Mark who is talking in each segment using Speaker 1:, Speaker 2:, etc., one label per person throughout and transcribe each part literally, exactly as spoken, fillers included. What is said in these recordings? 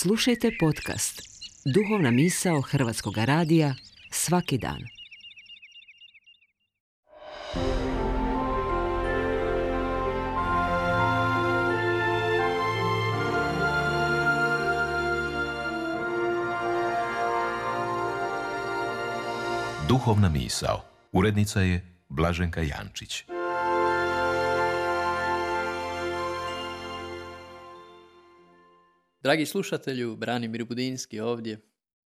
Speaker 1: Slušajte podcast Duhovna misao Hrvatskog radija svaki dan.
Speaker 2: Duhovna misao. Urednica je Blaženka Jančić.
Speaker 3: Dragi slušatelju, Branimir Budinski ovdje.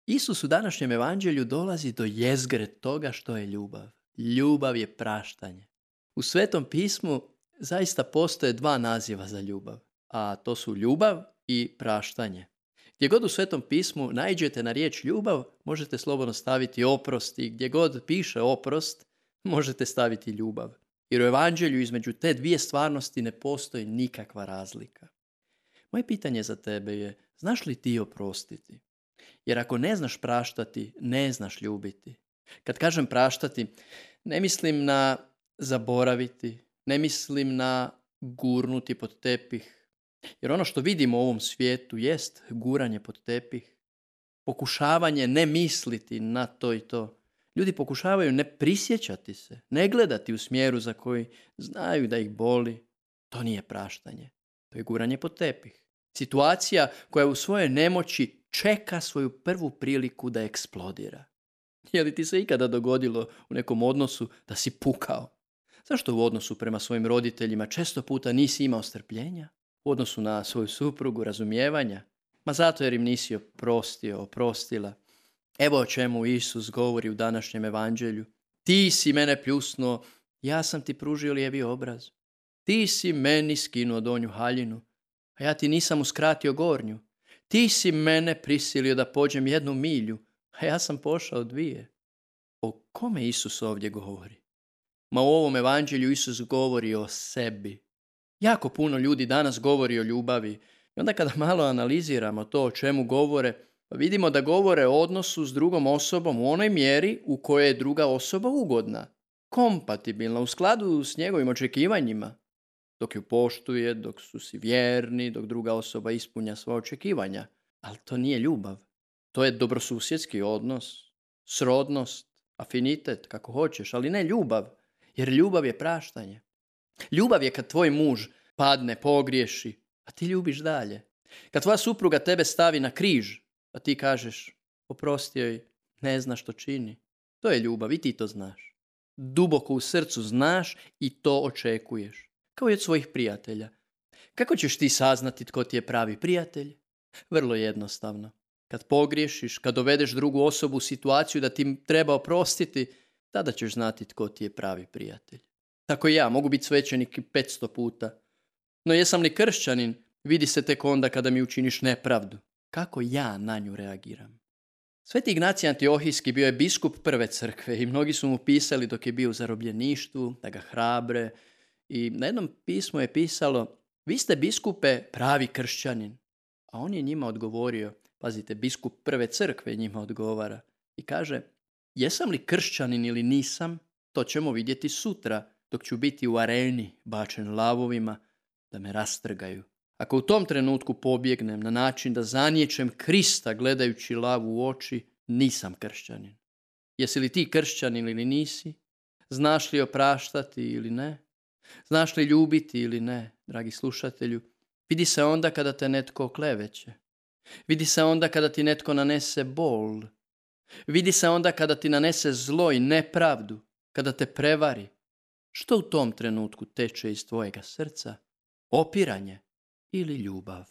Speaker 3: Isus u današnjem evanđelju dolazi do jezgre toga što je ljubav. Ljubav je praštanje. U Svetom pismu zaista postoje dva naziva za ljubav, a to su ljubav i praštanje. Gdje god u Svetom pismu naiđete na riječ ljubav, možete slobodno staviti oprost i gdje god piše oprost, možete staviti ljubav. Jer u evanđelju između te dvije stvarnosti ne postoji nikakva razlika. Moje pitanje za tebe je, znaš li ti oprostiti? Jer ako ne znaš praštati, ne znaš ljubiti. Kad kažem praštati, ne mislim na zaboraviti, ne mislim na gurnuti pod tepih. Jer ono što vidimo u ovom svijetu jest guranje pod tepih. Pokušavanje ne misliti na to i to. Ljudi pokušavaju ne prisjećati se, ne gledati u smjeru za koji znaju da ih boli. To nije praštanje. To je guranje pod tepih. Situacija koja u svojoj nemoći čeka svoju prvu priliku da eksplodira. Je li ti se ikada dogodilo u nekom odnosu da si pukao? Zašto u odnosu prema svojim roditeljima često puta nisi imao strpljenja? U odnosu na svoju suprugu razumijevanja? Ma zato jer im nisi oprostio, oprostila. Evo o čemu Isus govori u današnjem evanđelju. Ti si mene pljusnuo, ja sam ti pružio lijevi obraz. Ti si meni skinuo donju haljinu, a ja ti nisam uskratio gornju. Ti si mene prisilio da pođem jednu milju, a ja sam pošao dvije. O kome Isus ovdje govori? Ma u ovom evanđelju Isus govori o sebi. Jako puno ljudi danas govori o ljubavi. I onda kada malo analiziramo to o čemu govore, vidimo da govore o odnosu s drugom osobom u onoj mjeri u kojoj je druga osoba ugodna, kompatibilna, u skladu s njegovim očekivanjima. Dok ju poštuje, dok su si vjerni, dok druga osoba ispunja svoja očekivanja. Ali to nije ljubav. To je dobrosusjedski odnos, srodnost, afinitet, kako hoćeš, ali ne ljubav. Jer ljubav je praštanje. Ljubav je kad tvoj muž padne, pogriješi, a ti ljubiš dalje. Kad tvoja supruga tebe stavi na križ, a ti kažeš, oprosti joj, ne zna što čini. To je ljubav i ti to znaš. Duboko u srcu znaš i to očekuješ. Kao i od svojih prijatelja. Kako ćeš ti saznati tko ti je pravi prijatelj? Vrlo jednostavno. Kad pogriješiš, kad dovedeš drugu osobu u situaciju da ti treba oprostiti, tada ćeš znati tko ti je pravi prijatelj. Tako i ja, mogu biti svećenik petsto puta. No jesam li kršćanin, vidi se tek onda kada mi učiniš nepravdu. Kako ja na nju reagiram? Sveti Ignacij Antiohijski bio je biskup prve crkve i mnogi su mu pisali dok je bio u zarobljeništvu, da ga hrabre. I na jednom pismu je pisalo, vi ste biskupe pravi kršćanin. A on je njima odgovorio, pazite, biskup prve crkve njima odgovara i kaže, jesam li kršćanin ili nisam, to ćemo vidjeti sutra, dok ću biti u areni bačen lavovima da me rastrgaju. Ako u tom trenutku pobjegnem na način da zaniječem Krista gledajući lavu u oči, nisam kršćanin. Jesi li ti kršćanin ili nisi? Znaš li opraštati ili ne? Znaš li ljubiti ili ne, dragi slušatelju? Vidi se onda kada te netko okleveće. Vidi se onda kada ti netko nanese bol. Vidi se onda kada ti nanese zlo i nepravdu, kada te prevari. Što u tom trenutku teče iz tvojega srca? Opiranje ili ljubav?